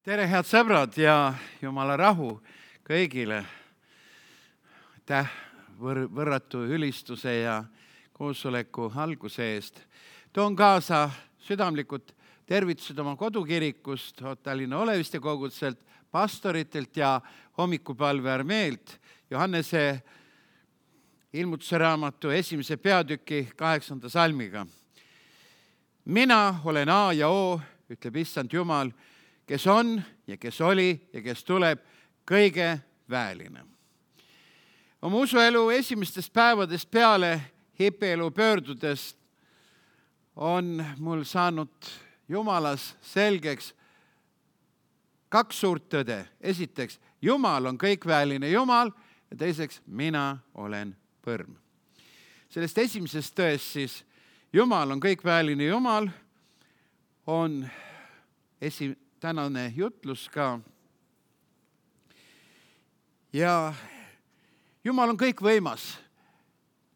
Tere, head sõbrad ja Jumala rahu kõigile. Aitäh võrratu ülistuse ja koosoleku alguse eest. Toon kaasa südamlikud tervitused oma kodukirikust, Tallinna Oleviste kogudselt, pastoritelt ja hommikupalve armeelt. Johannese ilmutuse raamatu 1. peatüki 8. salmiga. Mina olen A ja O, ütleb Issand Jumal, kes on ja kes oli ja kes tuleb, kõige väeline. Oma usuelu esimestest päevadest peale hipielu pöördudest on mul saanud Jumalas selgeks kaks suurt tõde. Esiteks, Jumal on kõikväeline Jumal ja teiseks, mina olen põrm. Sellest esimesest tõest siis, Jumal on kõikväeline Jumal, on tänane jutlus ka. Ja Jumal on kõikvõimas,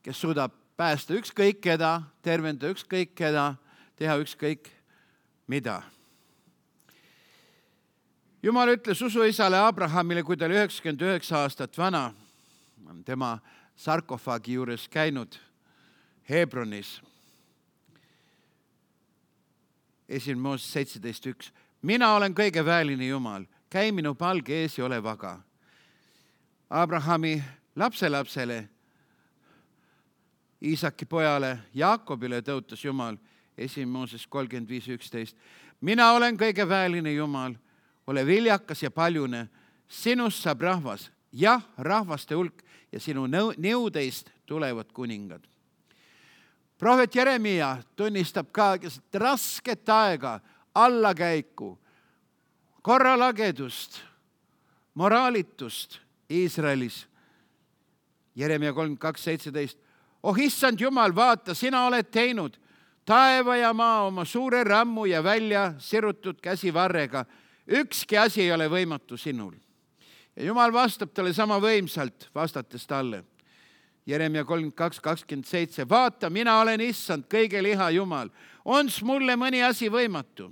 kes suudab päästa ükskõik keda, tervenda ükskõik keda, teha ükskõik mida. Jumal ütles usuisale Abrahamile, kui ta oli 99 aastat vana, on tema sarkofaagi juures käinud Hebronis. 1. Mooses 17.1. Mina olen kõige väeline Jumal, käi minu palge ees ja ole vaga. Abrahami lapselapsele, Iisaki pojale Jaakobile tõotas Jumal 1. Mooses 35.11. Mina olen kõige väeline Jumal, ole viljakas ja paljune, sinust saab rahvas, jah, rahvaste hulk ja sinu nõudeist tulevad kuningad. Prohvet Jeremia tunnistab ka rasket aega, allakäiku, korralagedust, moraalitust Iisraelis. Jeremia 32.17. Oh issand Jumal, vaata, sina oled teinud taeva ja maa oma suure rammu ja välja sirutud käsivarrega. Ükski asi ei ole võimatu sinul. Ja Jumal vastab talle sama võimsalt, vastates talle. Jeremia 32.27. Vaata, mina olen issand, kõige liha Jumal. Ons mulle mõni asi võimatu?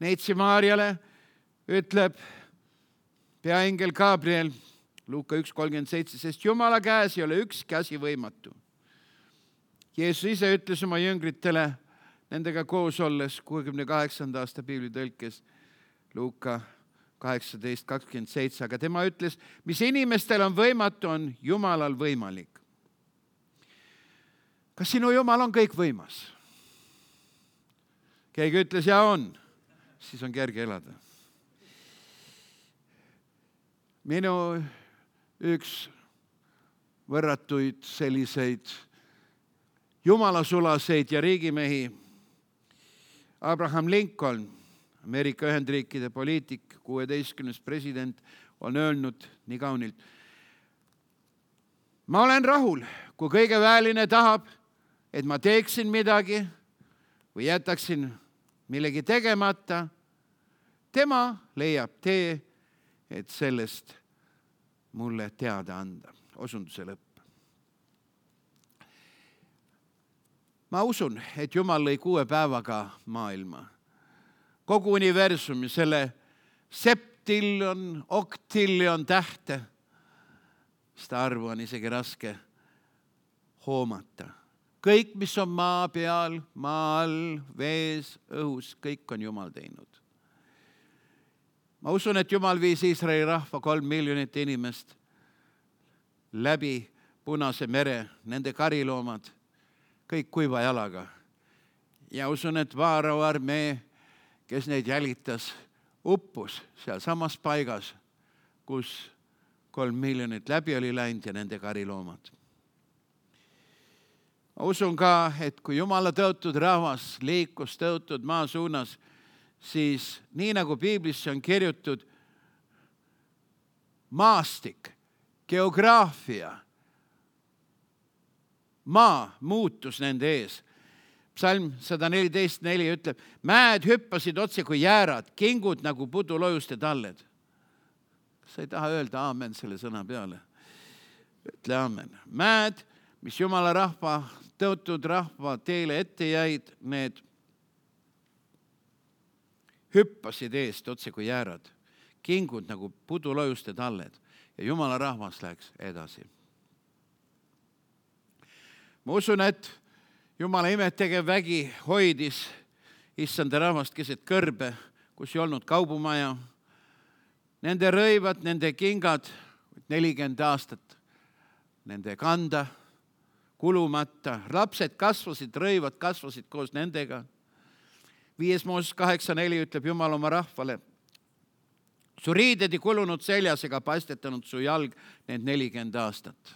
Neitsi Maarjale ütleb peaingel Gabriel, Luuka 1.37, sest Jumala käes ei ole ükski asi võimatu. Jeesus ise ütles oma jüngritele, nendega koos olles 68. aasta piiblitõlkes, Luuka 18.27, aga tema ütles, mis inimestel on võimatu, on Jumalal võimalik. Kas sinu Jumal on kõik võimas? Keegi ütles, ja on. Siis on kerge elada. Minu üks võrratuid selliseid jumalasulaseid ja riigimehi, Abraham Lincoln, Ameerika Ühendriikide poliitik, 16. president, on öelnud nii kaunilt. Ma olen rahul, kui kõige väeline tahab, et ma teeksin midagi või jätaksin millegi tegemata. Tema leiab tee, et sellest mulle teada anda. Osunduse lõpp. Ma usun, et Jumal lõi 6 päevaga maailma. Kogu universumi, selle septiljon, oktiljon tähte. Seda arvu on isegi raske hoomata. Kõik, mis on maa peal, maa all, vees, õhus, kõik on Jumal teinud. Ma usun, et Jumal viis Iisraeli rahva 3 miljonit inimest läbi Punase mere, nende kariloomad, kõik kuiva jalaga. Ja usun, et Vaarao armee, kes neid jälitas, uppus seal samas paigas, kus 3 miljonit läbi oli läinud ja nende kariloomad. Ma usun ka, et kui Jumala tõotud rahvas liikus tõotud maa suunas, siis nii nagu piiblisse on kirjutud, maastik, geograafia, maa muutus nende ees. Psalm 114.4 ütleb, mäed hüppasid otse kui jäärad, kingud nagu pudulojuste talled. Kas sa ei taha öelda aamen selle sõna peale? Ütle aamen. Mäed, mis Jumala rahva, tõotud rahva teele ette jäid, need hüppasid eest otse kui jäärad, kingud nagu pudulojuste talled ja Jumala rahvas läks edasi. Ma usun, et Jumala imetegev vägi hoidis issanda rahvast keset kõrbe, kus ei olnud kaubumaja. Nende rõivad, nende kingad, 40 aastat nende kanda, kulumata. Lapsed kasvasid, rõivad kasvasid koos nendega. 5 Mooses 8:4 ütleb Jumal oma rahvale: su riided ei kulunud seljas ega paistetanud su jalg need 40 aastat.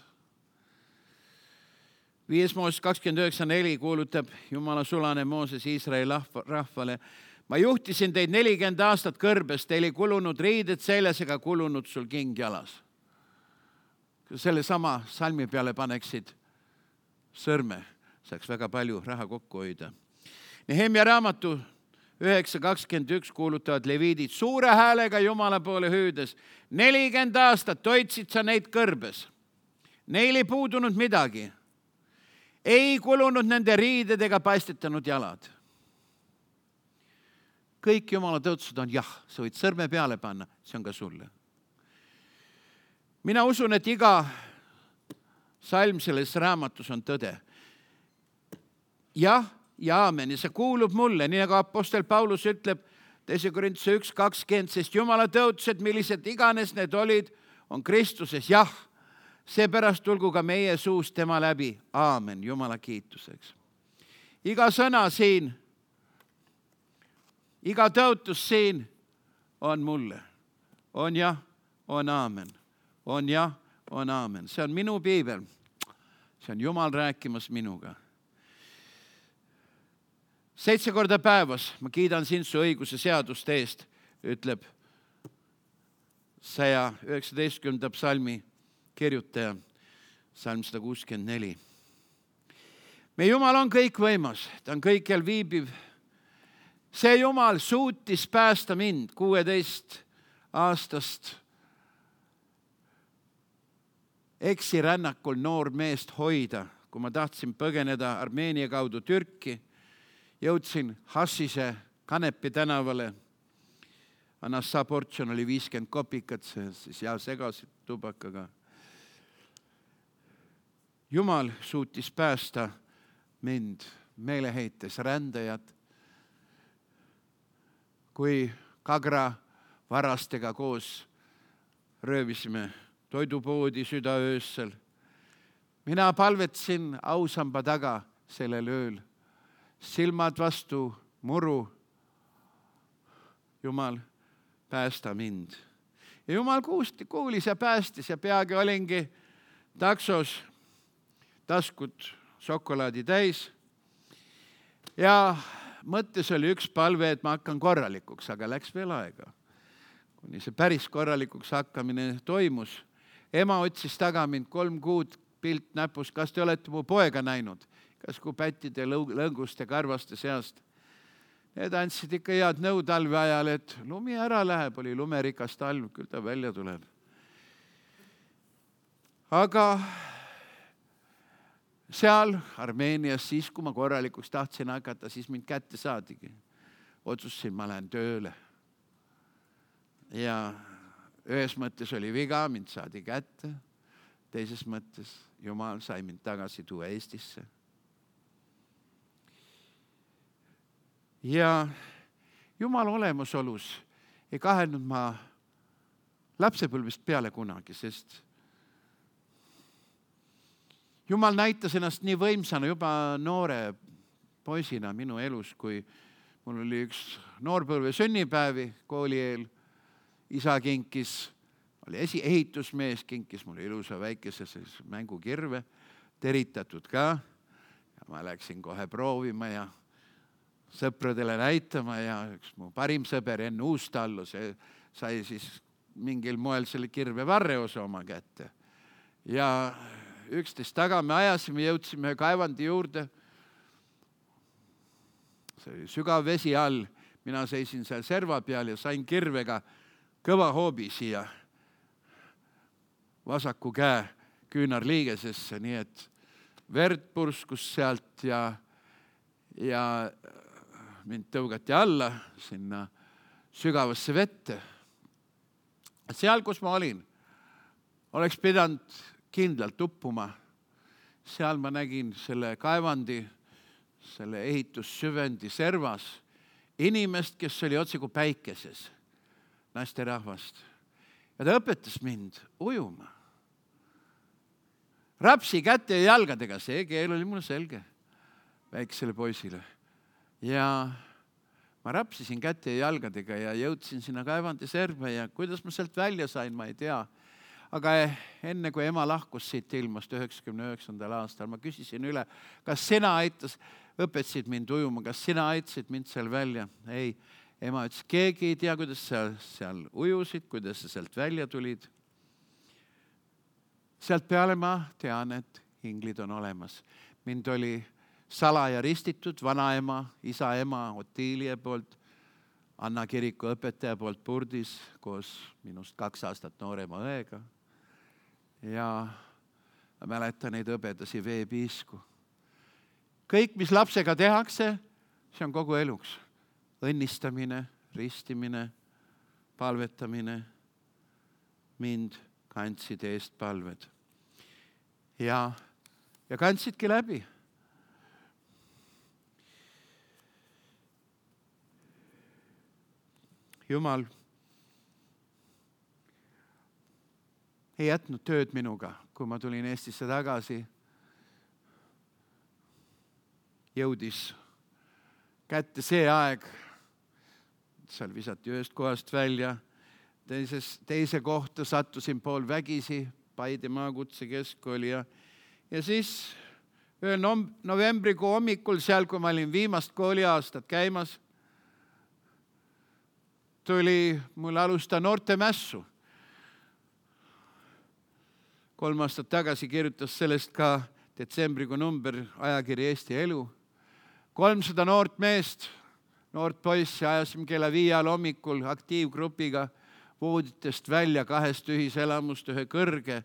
5 Mooses 29:4 kuulutab Jumala sulane Mooses Iisraeli rahvale: ma juhtisin teid 40 aastat kõrbes, teil ei kulunud riided seljas ega kulunud sul king jalas. Kui selle sama salmi peale paneksid sõrme, saaks väga palju raha kokku hoida. Nehemia raamatu 9:21 kuulutavad leviidid suure häälega Jumala poole hüüdes: 40 aastat hoidsid sa neid kõrbes. Neil ei puudunud midagi. Ei kulunud nende riided ega paistetanud jalad. Kõik Jumala tõotused on jah, sa võid sõrme peale panna, see on ka sulle. Mina usun, et iga salm selles raamatus on tõde. Jah ja aamen, ja see kuulub mulle, nii nagu apostel Paulus ütleb 2 Korintuse 1:20, sest Jumala tõotused, millised iganes need olid, on Kristuses jah. Seepärast tulgu ka meie suust tema läbi. Aamen, Jumala kiituseks. Iga sõna siin, iga tõotus siin on mulle. On jah, on aamen. On jah, on aamen. See on minu piibel. See on Jumal rääkimas minuga. 7 korda päevas ma kiidan sind su õiguse seaduste eest, ütleb 119. psalmi kirjutaja, psalm 164. Meie Jumal on kõikvõimas, ta on kõikjal viibiv. See Jumal suutis päästa mind 16 aastast eksirännakul noor meest hoida, kui ma tahtsin põgeneda Armeenia kaudu Türki. Jõudsin Hassise Kanepi tänavale. Anassa portsjon oli 50 kopikat, siis ja segasid tubakaga. Jumal suutis päästa mind meeleheites rändajad, kui Kagra varastega koos röövisime toidupoodi südaöössel. Mina palvetsin ausamba taga sellel ööl. Silmad vastu muru. Jumal, päästa mind. Ja Jumal kuulis ja päästis ja peagi olingi taksos, taskud šokolaadi täis. Ja mõttes oli üks palve, et ma hakkan korralikuks, aga läks veel aega. Kuni see päris korralikuks hakkamine toimus. Ema otsis taga mind 3 kuud pilt näpus, kas te olete mu poega näinud? Kas kui pättide, lõnguste, karvaste seast. Need andsid ikka head nõu talve ajal, et lumi ära läheb, oli lumerikas talv, küll ta välja tuleb. Aga seal Armeenias siis, kui ma korralikuks tahtsin hakata, siis mind kätte saadigi. Otsustasin, ma lähen tööle. Ja ühes mõttes oli viga, mind saadi kätte. Teises mõttes Jumal sai mind tagasi tuua Eestisse. Ja Jumala olemasolus ei kahelnud ma lapsepõlvest peale kunagi, sest Jumal näitas ennast nii võimsana juba noore poisina minu elus, kui mul oli üks noorpõlve sünnipäevi kooli eel. Isa kinkis, oli ehitusmees, kinkis mulle ilusa väikese mängukirve, teritatud ka. Ja ma läksin kohe proovima ja sõpradele näitama ja üks mu parim sõber enne Uustallu, see sai siis mingil moel selle kirve varreosa oma kätte. Ja 11 taga me ajasime, jõudsime kaevandi juurde. See oli sügav vesi all. Mina seisin seal serva peal ja sain kirvega kõva hoobi siia vasaku käe küünarliigesesse, nii et verd purskus sealt ja mind tõugati alla sinna sügavasse vette. Seal, kus ma olin, oleks pidanud kindlalt uppuma. Seal ma nägin selle kaevandi, selle ehitussüvendi servas inimest, kes oli otse kui päikeses, naisterahvast. Ja ta õpetas mind ujuma. Rapsi käte ja jalgadega, see keel oli mulle selge, väiksele poisile. Ja ma rapsisin käte ja jalgadega ja jõudsin sinna kaevandi serva ja kuidas ma sealt välja sain, ma ei tea. Aga enne kui ema lahkus siit ilmast 99. aastal, ma küsisin üle, kas sina õpetasid mind ujuma, kas sina aitasid mind seal välja? Ei, ema ütles, keegi ei tea, kuidas sa seal ujusid, kuidas sa sealt välja tulid. Sealt peale ma tean, et inglid on olemas. Mind oli salaja ristitud vanaema, isaema Otiilia poolt, Anna kiriku õpetaja poolt Purdis koos minust 2 aastat noorema õega. Ja ma mäletan neid õbedasi veepiisku. Kõik, mis lapsega tehakse, see on kogu eluks. Õnnistamine, ristimine, palvetamine. Mind kandsid eest palved. Ja kandsidki läbi. Jumal ei jätnud tööd minuga, kui ma tulin Eestisse tagasi. Jõudis kätte see aeg, seal visati ühest kohast välja, teise kohta sattusin pool vägisi, Paide maakutse keskkooli ja siis ühel novembrikuu hommikul seal, kui ma olin viimast kooliaastat käimas, tuli mul alustada noortemässu. 3 aastat tagasi kirjutas sellest ka detsembrikuu number ajakiri Eesti Elu. 300 noort meest, noort poissi ajasime kella 5 hommikul aktiivgrupiga vooditest välja 2 ühiselamust ühe kõige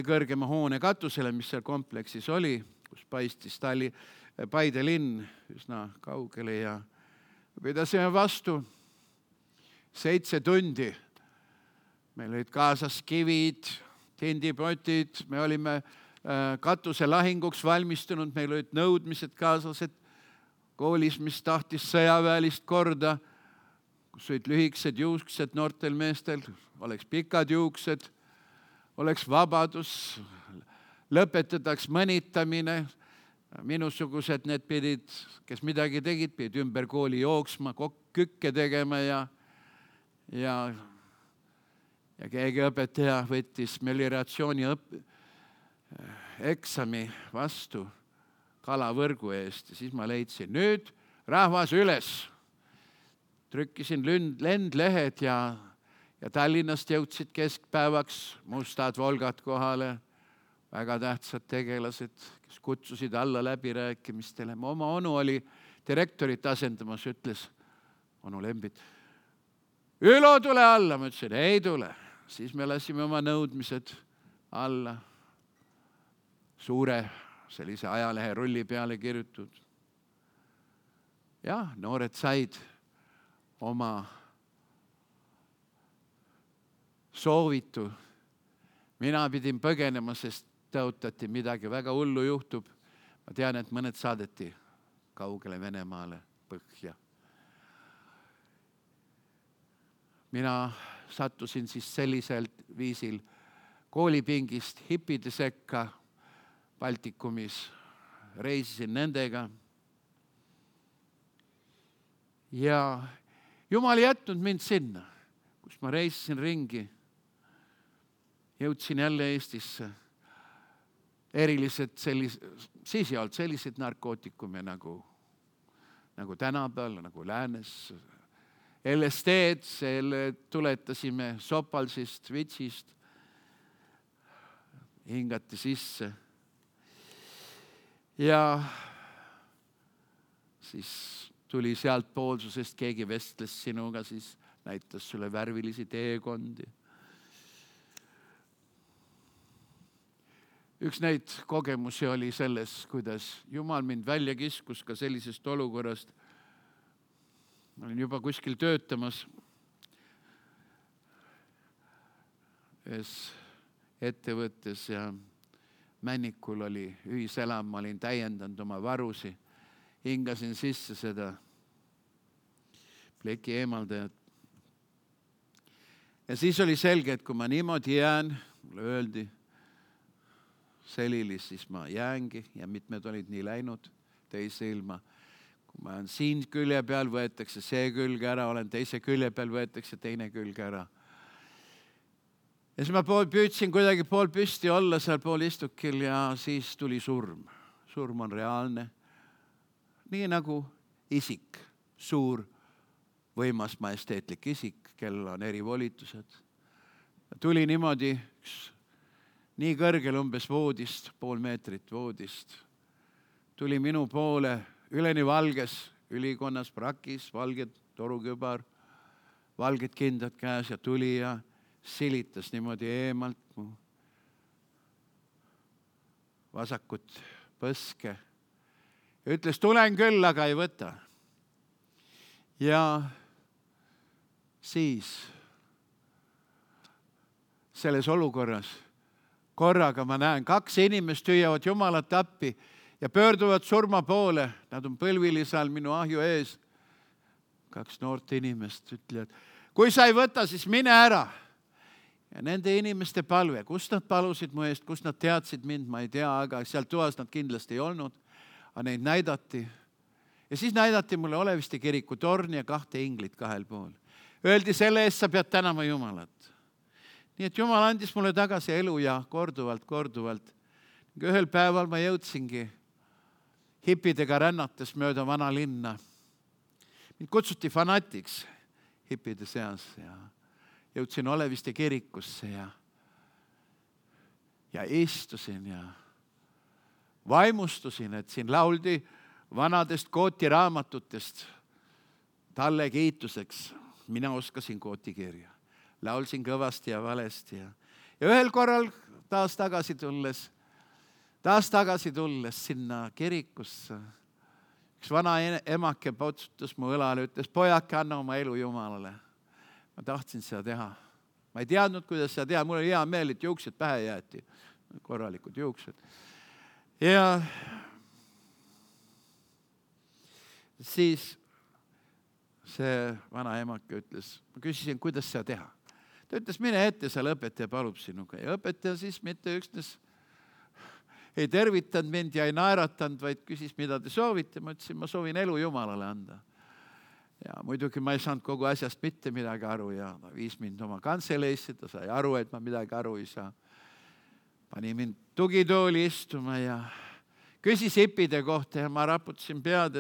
kõrgema hoone katusele, mis seal kompleksis oli, kus paistis Paide linn üsna kaugele ja pidasime vastu 7 tundi. Meil olid kaasas kivid, tindipotid, me olime katuse lahinguks valmistunud, meil olid nõudmised kaasas, et koolis, mis tahtis sõjaväelist korda, kus olid lühikesed juuksed noortel meestel, oleks pikad juuksed, oleks vabadus, lõpetataks mõnitamine. Minusugused need pidid, kes midagi tegid, pidid ümber kooli jooksma, kükke tegema ja keegi õpetaja võttis melioratsiooni eksami vastu kalavõrgu eest ja siis ma leidsin, nüüd rahvas üles. Trükkisin lendlehed ja Tallinnast jõudsid keskpäevaks mustad Volgad kohale, väga tähtsad tegelased, kes kutsusid alla läbirääkimistele. Oma onu oli direktorit asendamas, ütles onu Lembit, Ülo, tule alla. Ma ütlesin, ei tule. Siis me lasime oma nõudmised alla suure sellise ajalehe rulli peale kirjutud. Ja noored said oma soovitu. Mina pidin põgenema, sest tõotati midagi väga hullu juhtub. Ma tean, et mõned saadeti kaugele Venemaale põhja. Mina sattusin siis sellisel viisil koolipingist hipide sekka Baltikumis, reisisin nendega. Ja Jumal ei jätnud mind sinna, kus ma reisisin ringi. Jõudsin jälle Eestisse. Siis ei olnud sellised narkootikume nagu tänapäeval, nagu läänes. LSD-d, selle tuletasime Sopalsist, Vitsist, hingati sisse. Ja siis tuli sealt poolsusest, keegi vestles sinuga, siis näitas sulle värvilisi teekondi. Üks neid kogemusi oli selles, kuidas Jumal mind välja kiskus ka sellisest olukorrast. Ma olin juba kuskil töötamas ühes ettevõttes ja Männikul oli ühiselam, ma olin täiendanud oma varusi, hingasin sisse seda pleki eemaldajat. Ja siis oli selge, et kui ma niimoodi jään, mulle öeldi Selilis, siis ma jäängi ja mitmed olid nii läinud teise ilma. Kui ma olen siin külje peal, võetakse see külg ära, olen teise külje peal, võetakse teine külg ära. Ja siis ma püüdsin kuidagi pool püsti olla seal pool istukil ja siis tuli surm. Surm on reaalne. Nii nagu isik, suur, võimas, majesteetlik isik, kellel on erivolitused. Tuli niimoodi nii kõrgel umbes voodist, 0,5 meetrit voodist. Tuli minu poole üleni valges, ülikonnas, prakis, valged torukübar, valged kindad käes ja tuli ja silitas niimoodi eemalt mu vasakut põske. Ja ütles, tulen küll, aga ei võta. Ja siis selles olukorras korraga ma näen, 2 inimest hüüavad Jumalat appi ja pöörduvad surma poole. Nad on põlvilise all minu ahju ees. 2 noort inimest ütlevad, kui sa ei võta, siis mine ära. Ja nende inimeste palve, kust nad palusid mu eest, kust nad teadsid mind, ma ei tea, aga seal toas nad kindlasti ei olnud. Aga neid näidati. Ja siis näidati mulle Oleviste kiriku torni ja 2 inglit 2 pool. Öeldi, selle eest sa pead tänama Jumalat. Nii et Jumal andis mulle tagasi elu ja korduvalt. Ühel päeval ma jõudsingi hippidega rännates mööda vana linna. Mind kutsuti fanatiks hippide seas ja jõudsin Oleviste kirikusse ja istusin ja vaimustusin, et siin lauldi vanadest Kooti raamatutest talle kiituseks. Mina oskasin Kooti kirja. Laulsin kõvasti ja valesti ja ühel korral taas tagasi tulles sinna kirikusse. Üks vana emake potsutas mu õlale, ütles, pojake, anna oma elu Jumalale. Ma tahtsin seda teha. Ma ei teadnud, kuidas seda teha. Mul oli hea meel, et juuksed pähe jäeti. Korralikud juuksed. Ja siis see vana emake ütles, ma küsisin, kuidas seda teha. Ta ütles, mine ette, seal õpetaja palub sinuga. Ja õpetaja siis mitte üksnes ei tervitanud mind ja ei naeratanud, vaid küsis, mida te soovite. Ma ütlesin, ma soovin elu Jumalale anda. Ja muidugi ma ei saanud kogu asjast mitte midagi aru ja ta viis mind oma kantseleisse, ta sai aru, et ma midagi aru ei saa. Pani mind tugitooli istuma ja küsis hippide kohta ja ma raputasin pead,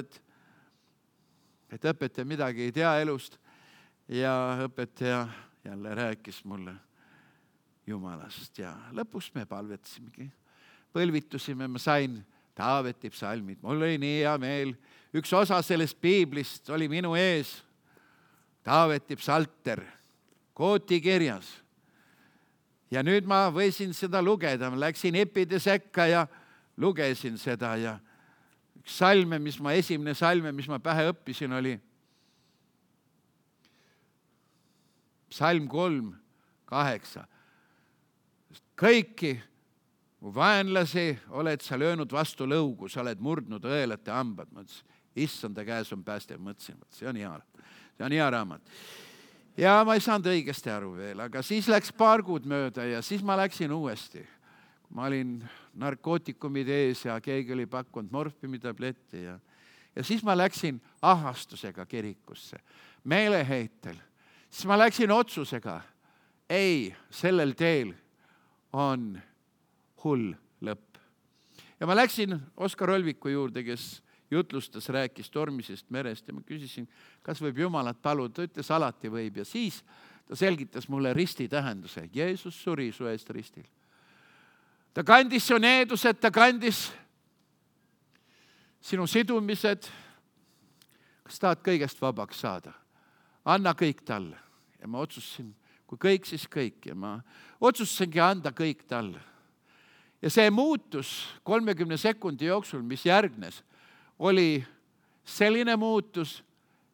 et õpetaja midagi ei tea elust ja õpetaja jälle rääkis mulle Jumalast ja lõpuks me palvetasimegi. Põlvitusime, ma sain Taaveti psalmid. Mul oli nii hea meel. Üks osa sellest piiblist oli minu ees. Taaveti psalter, Kooti kirjas. Ja nüüd ma võisin seda lugeda. Ma läksin hippide sekka ja lugesin seda. Ja üks esimene salme, mis ma pähe õppisin, oli psalm 3:8. Kõiki mu vaenlasi oled sa löönud vastu lõugu, sa oled murdnud õelate hambad. Ma ütlesin, issanda käes on päästev, mõtlesin, see on hea raamat. Ja ma ei saanud õigesti aru veel, aga siis läks paar kuud mööda ja siis ma läksin uuesti. Ma olin narkootikumide ees ja keegi oli pakkunud morfimitabletti ja siis ma läksin ahastusega kirikusse, meeleheitel. Siis ma läksin otsusega, ei, sellel teel on hull lõpp. Ja ma läksin Oskar Olviku juurde, kes jutlustas, rääkis tormisest merest ja ma küsisin, kas võib Jumalat paluda. Ta ütles, alati võib ja siis ta selgitas mulle risti tähenduse. Jeesus suri su eest ristil. Ta kandis su needused, ta kandis sinu sidumised. Kas tahad kõigest vabaks saada? Anna kõik talle. Ja ma otsustasin, kui kõik, siis kõik. Ja ma otsustasingi anda kõik talle. Ja see muutus 30 sekundi jooksul, mis järgnes, oli selline muutus,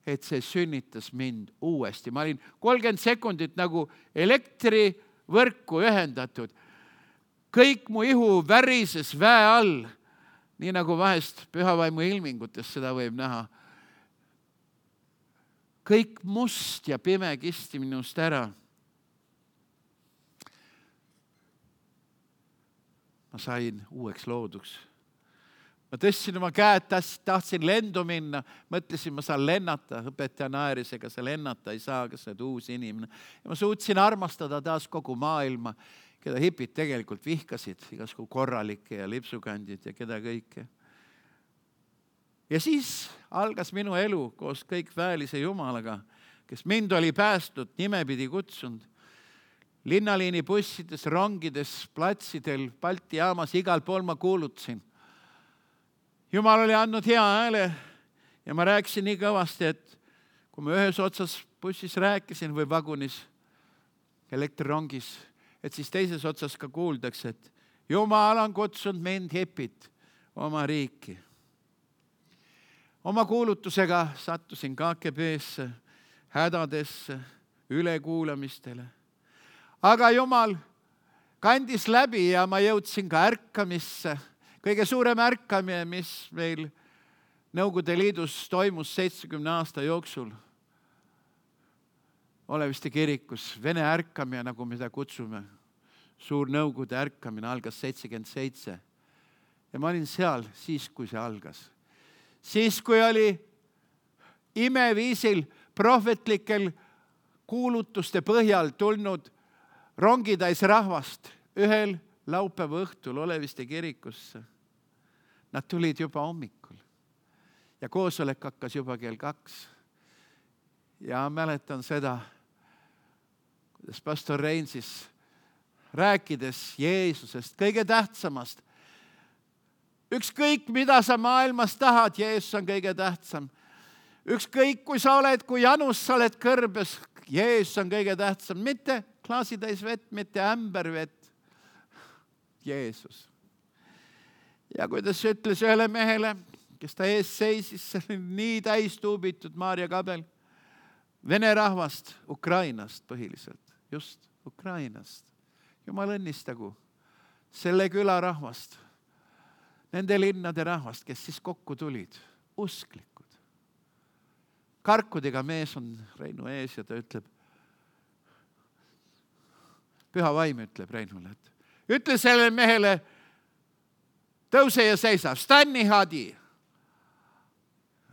et see sünnitas mind uuesti. Ma olin 30 sekundit nagu elektri võrku ühendatud. Kõik mu ihu värises väe all, nii nagu vahest pühavaimu ilmingutes seda võib näha. Kõik must ja pime kisti minust ära. Ma sain uueks looduks. Ma tõstsin oma käed, tahtsin lendu minna, mõtlesin, ma saan lennata, õpetaja naeris, ega sa lennata ei saa, kas sa oled uus inimene. Ja ma suutsin armastada taas kogu maailma, keda hipid tegelikult vihkasid, igasku korralikke ja lipsukandid ja keda kõike. Ja siis algas minu elu koos kõik väelise Jumalaga, kes mind oli päästnud, nimepidi kutsunud. Linnaliini bussides, rongides, platsidel, Balti jaamas, igal pool ma kuulutasin. Jumal oli andnud hea hääle ja ma rääkisin nii kõvasti, et kui ma ühes otsas bussis rääkisin või vagunis, elektrirongis, et siis teises otsas ka kuuldakse, et Jumal on kutsunud mind hipit oma riiki. Oma kuulutusega sattusin KGB-sse, hädadesse, ülekuulamistele. Aga Jumal kandis läbi ja ma jõudsin ka ärkamisse. Kõige suurem ärkamine, mis meil Nõukogude Liidus toimus 70 aasta jooksul. Oleviste kirikus, Vene ärkamine, nagu me seda kutsume. Suur Nõukogude ärkamine algas 77. Ja ma olin seal siis, kui see algas. Siis, kui oli imeviisil prohvetlikel kuulutuste põhjal tulnud rongitäis rahvast ühel laupäeva õhtul Oleviste kirikusse. Nad tulid juba hommikul ja koosolek hakkas juba kell 2. Ja mäletan seda, kuidas pastor Rein siis rääkides Jeesusest, kõige tähtsamast. Ükskõik, mida sa maailmas tahad, Jeesus on kõige tähtsam. Ükskõik, kui sa oled, kui janus sa oled kõrbes, Jeesus on kõige tähtsam. Mitte klaasitäis vett, mitte ämbervett. Jeesus. Ja kuidas ütles ühele mehele, kes ta ees seisis, see oli nii täis tuubitud Maarja Kabel, Vene rahvast, Ukrainast põhiliselt, just Ukrainast. Jumal õnnistagu selle küla rahvast, nende linnade rahvast, kes siis kokku tulid, usklikud. Karkudega mees on Reinu ees ja ta ütleb, Püha Vaim ütleb Reinule, et ütle sellele mehele, tõuse ja seisa, stani hadi.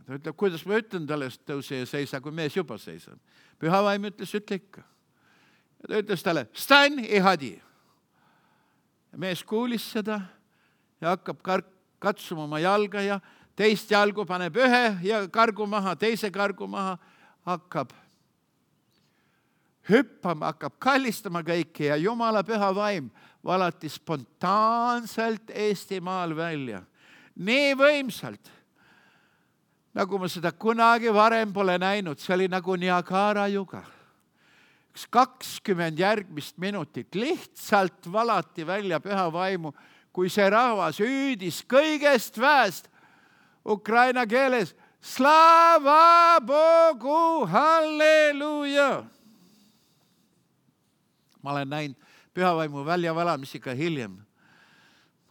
Ta ütleb, kuidas ma ütlen talle, tõuse ja seisa, kui mees juba seisab. Püha Vaim ütles, ütle ikka. Ja ta ütles talle, stani hadi. Ja mees kuulis seda ja hakkab katsuma oma jalga ja teist jalgu paneb ühe ja kargu maha, teise kargu maha, hakkab hüppama, hakkab kallistama kõiki ja Jumala Püha Vaim valati spontaanselt Eestimaal välja. Nii võimsalt, nagu ma seda kunagi varem pole näinud, see oli nagu Niagara juga. 20 järgmist minutit lihtsalt valati välja Püha Vaimu, kui see rahvas hüüdis kõigest väest ukraina keeles Slava Bogu, halleluja! Ma olen näinud Pühavaimu väljavalamisi ka hiljem.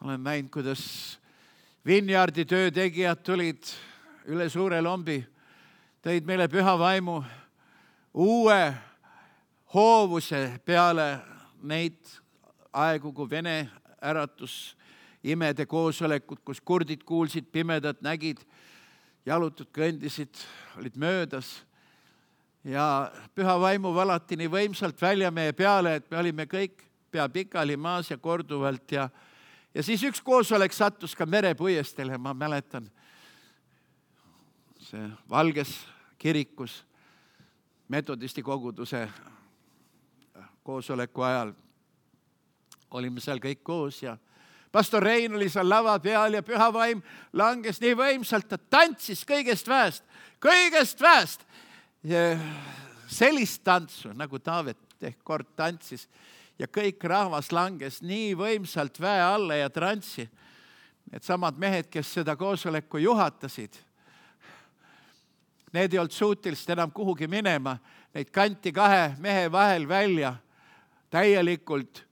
Ma olen näinud, kuidas Vinjardi töötegijad tulid üle suure lombi, tõid meile Pühavaimu uue hoovuse peale neid aegu, kui Vene äratus imede koosolekud, kus kurdid kuulsid, pimedad nägid, jalutud kõndisid, olid möödas. Ja Püha Vaimu valati nii võimsalt välja meie peale, et me olime kõik pea pikali maas ja korduvalt. Ja siis üks koosolek sattus ka merepuiestele, ma mäletan. See Valges kirikus metodisti koguduse koosoleku ajal olime seal kõik koos ja pastor Rein oli seal lava peal ja Püha Vaim langes nii võimsalt, ta tantsis kõigest väest. Ja sellist tantsu, nagu Taavet ehk kord tantsis ja kõik rahvas langes nii võimsalt väe alla ja trantsi. Need samad mehed, kes seda koosoleku juhatasid, need ei olnud suutelised enam kuhugi minema, neid kanti 2 mehe vahel välja täielikult,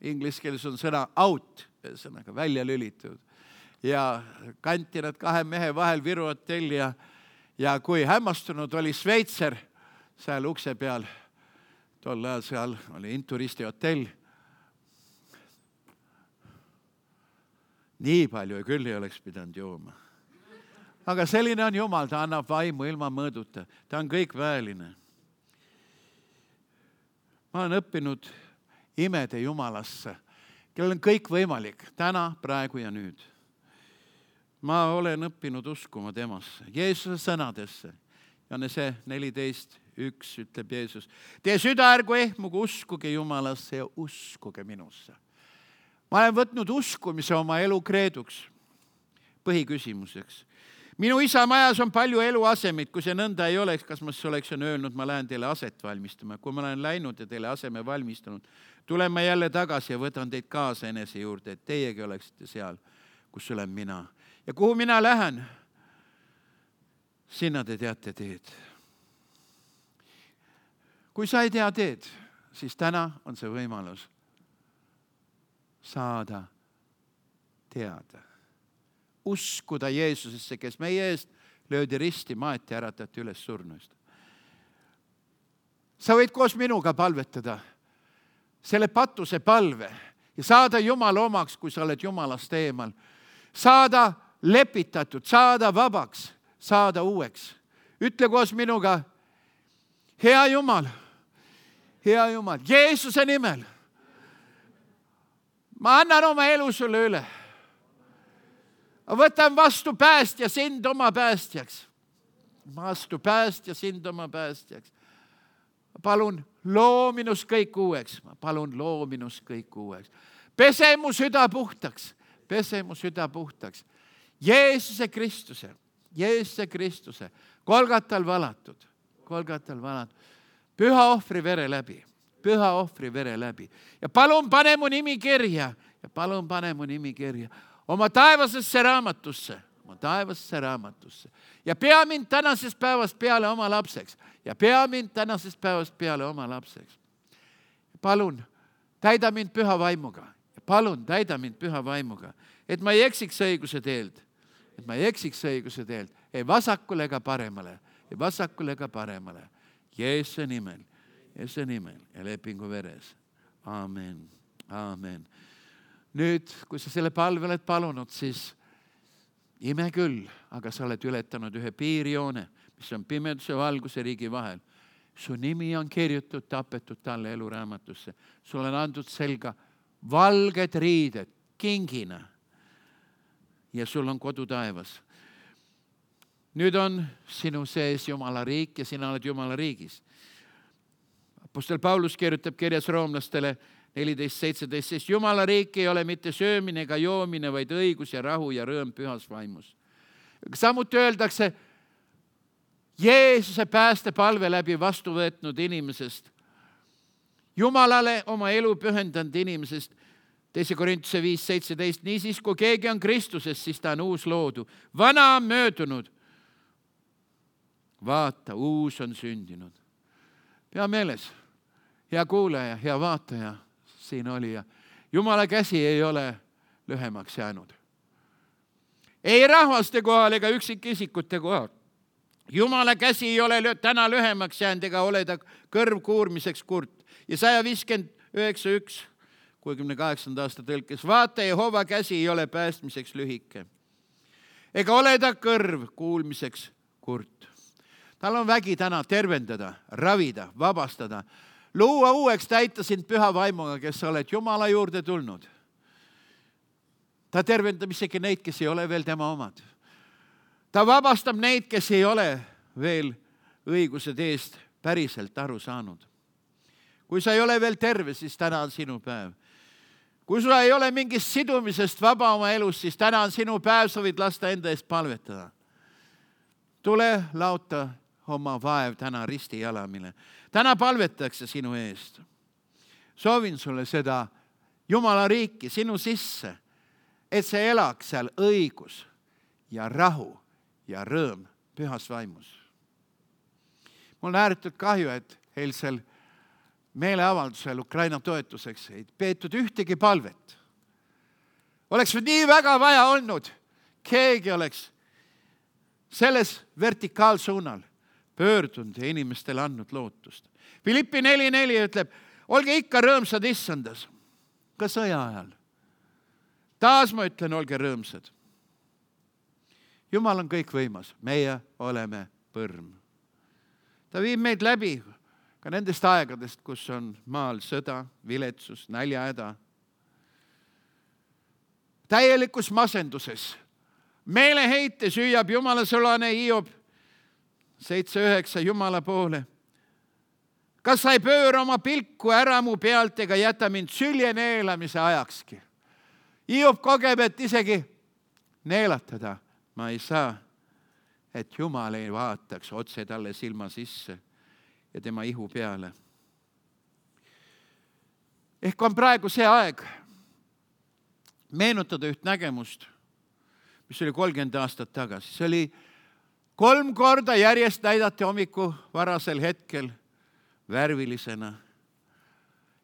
inglise keeles on sõna out, ühesõnaga välja lülitud. Ja kanti nad 2 mehe vahel Viru hotelli ja kui hämmastunud oli Šveitser seal ukse peal, tol ajal seal oli Inturisti hotell. Nii palju küll ei oleks pidanud jooma. Aga selline on Jumal, ta annab vaimu ilma mõõduta. Ta on kõikväeline. Ma olen õppinud imede Jumalasse, kellel on kõik võimalik, täna, praegu ja nüüd. Ma olen õppinud uskuma temasse, Jeesuse sõnadesse. Johannese 14:1 ütleb Jeesus, teie süda ärgu ehmugu, uskuge Jumalasse ja uskuge minusse. Ma olen võtnud uskumise oma elu kreeduks, põhiküsimuseks. Minu isa majas on palju eluasemid, kui see nõnda ei oleks, kas ma siis oleksin öelnud, ma lähen teile aset valmistama. Kui ma olen läinud ja teile aseme valmistanud, tulen ma jälle tagasi ja võtan teid kaasa enese juurde, et teiegi oleksite seal, kus olen mina. Ja kuhu mina lähen, sinna te teate teed. Kui sa ei tea teed, siis täna on see võimalus saada teada. Uskuda Jeesusesse, kes meie eest löödi risti, maeti, äratati üles surnuist. Sa võid koos minuga palvetada selle patuse palve ja saada Jumala omaks, kui sa oled Jumalast eemal. Saada lepitatud, saada vabaks, saada uueks. Ütle koos minuga, hea Jumal, Jeesuse nimel, ma annan oma elu sulle üle. Võtan vastu päästja sind oma päästjaks. Vastu päästja sind oma päästjaks. Palun loo minus kõik uueks. Palun loo minus kõik uueks. Pese mu süda puhtaks. Pese mu süda puhtaks. Jeesuse Kristuse. Golgatal valatud. Püha ohvri vere läbi. Ja palun pane mu nimi kirja. Oma taevasesse raamatusse. Ja pea mind tänasest päevast peale oma lapseks. Palun, täida mind püha vaimuga. Et ma ei eksiks õiguse teelt. Ei vasakule ega paremale. Jeesuse nimel ja lepingu veres. Aamen. Nüüd, kui sa selle palve oled palunud, siis ime küll, aga sa oled ületanud ühe piirjoone, mis on pimeduse ja valguse riigi vahel. Su nimi on kirjutatud, tapetud talle eluraamatusse. Sulle on antud selga valged riided, kingina. Ja sul on kodu taevas. Nüüd on sinu sees Jumala riik ja sina oled Jumala riigis. Apostel Paulus kirjutab kirjas roomlastele 14:17, sest Jumala riik ei ole mitte söömine ega joomine, vaid õigus ja rahu ja rõõm pühas vaimus. Samuti öeldakse Jeesuse päästepalve läbi vastu võetnud inimesest, Jumalale oma elu pühendanud inimesest, 2. Korintuse 5:17, niisiis kui keegi on Kristuses, siis ta on uus loodu. Vana on möödunud. Vaata, uus on sündinud. Pea meeles, hea kuulaja, hea vaataja, siin oli ja Jumala käsi ei ole lühemaks jäänud. Ei rahvaste kohal ega üksikisikute kohal. Jumala käsi ei ole täna lühemaks jäänud ega ole ta kõrv kuurmiseks kurt. Ja 159:1, 68. aasta tõlkes, vaata, Jehova käsi ei ole päästmiseks lühike. Ega ole ta kõrv kuulmiseks kurt. Tal on vägi täna tervendada, ravida, vabastada, luua uueks, täita sind püha vaimuga, kes sa oled Jumala juurde tulnud. Ta tervendab isegi neid, kes ei ole veel tema omad. Ta vabastab neid, kes ei ole veel õigused eest päriselt aru saanud. Kui sa ei ole veel terve, siis täna on sinu päev. Kui sa ei ole mingist sidumisest vaba oma elus, siis täna on sinu päev, sa võid lasta enda eest palvetada. Tule laota oma vaev täna risti jalamile. Täna palvetakse sinu eest. Soovin sulle seda Jumala riiki sinu sisse, et sa elaks seal õigus ja rahu ja rõõm pühas vaimus. Mul on ääretult kahju, et eilsel meeleavaldusel Ukraina toetuseks ei peetud ühtegi palvet. Oleks nii väga vaja olnud, keegi oleks selles vertikaalsuunal pöördunud ja inimestele andnud lootust. Filippi 4:4 ütleb, olge ikka rõõmsad issandas, ka sõja ajal. Taas ma ütlen, olge rõõmsad. Jumal on kõik võimas, meie oleme põrm. Ta viib meid läbi ka nendest aegadest, kus on maal sõda, viletsus, näljahäda. Täielikus masenduses, meeleheites hüüab Jumala sulane Hiob 7:9 Jumala poole. Kas sa ei pööra oma pilku ära mu pealt ega jäta mind sülje neelamise ajakski? Hiob kogeb, et isegi neelatada ma ei saa, et Jumal ei vaataks otse talle silma sisse ja tema ihu peale. Ehk on praegu see aeg meenutada üht nägemust, mis oli 30 aastat tagasi. See oli 3 korda järjest näidati hommiku varasel hetkel värvilisena.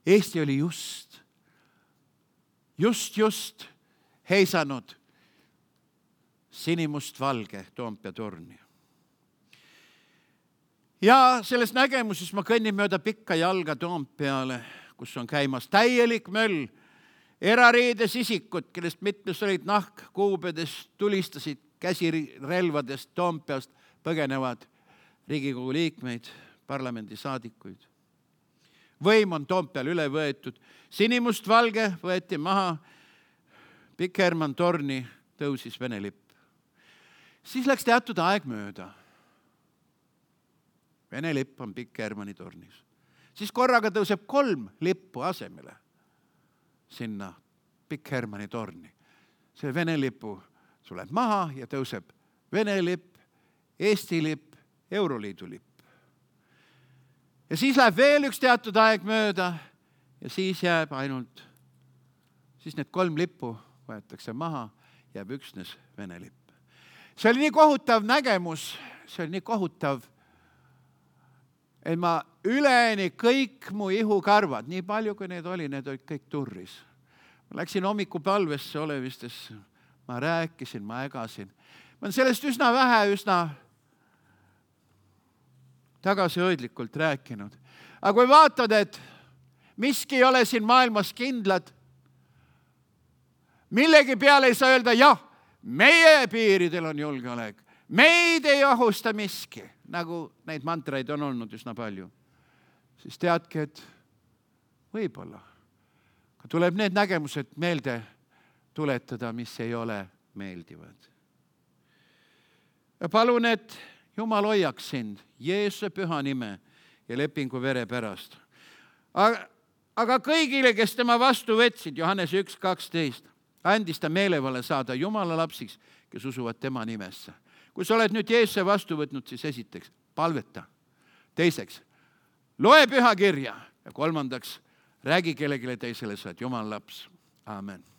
Eesti oli just heisanud sinimustvalge Toompea torni. Ja selles nägemuses ma kõnnin mööda pikka jalga Toompeale, kus on käimas täielik möll. Erariides isikud, kellest mitmes olid nahkkuubedest, tulistasid käsirelvadest Toompeast põgenevad Riigikogu liikmeid, parlamendisaadikuid. Võim on Toompeal üle võetud. Sinimustvalge võeti maha, Pikk Hermann torni tõusis Vene lipp. Siis läks teatud aeg mööda. Vene lipp on Pikk Hermanni tornis. Siis korraga tõuseb 3 lippu asemele sinna Pikk Hermanni torni. See Vene lipu tuleb maha ja tõuseb Vene lipp, Eesti lipp, Euroliidu lipp. Ja siis läheb veel üks teatud aeg mööda ja siis jääb ainult, siis need 3 lippu võetakse maha, jääb üksnes Vene lipp. See oli nii kohutav nägemus, see oli nii kohutav, et ma üleni kõik mu ihukarvad, nii palju kui need olid kõik turris. Ma läksin hommikupalvesse olevistesse, ma rääkisin, ma ägasin. Ma olen sellest üsna tagasihoidlikult rääkinud. Aga kui vaatad, et miski ei ole siin maailmas kindlad, millegi peale ei saa öelda, jah, meie piiridel on julgeolek, meid ei ohusta miski, nagu neid mantraid on olnud üsna palju, siis teadki, et võib-olla tuleb need nägemused meelde tuletada, mis ei ole meeldivad. Ja palun, et Jumal hoiaks sind Jeesuse püha nime ja lepingu vere pärast. Aga kõigile, kes tema vastu võtsid, Johannes 1:12, andis ta meelevalla saada Jumala lapsiks, kes usuvad tema nimesse. Kui sa oled nüüd Jeesuse vastu võtnud, siis esiteks palveta. Teiseks, loe püha kirja ja 3, räägi kellelegi teisele, sa oled Jumala laps. Aamen.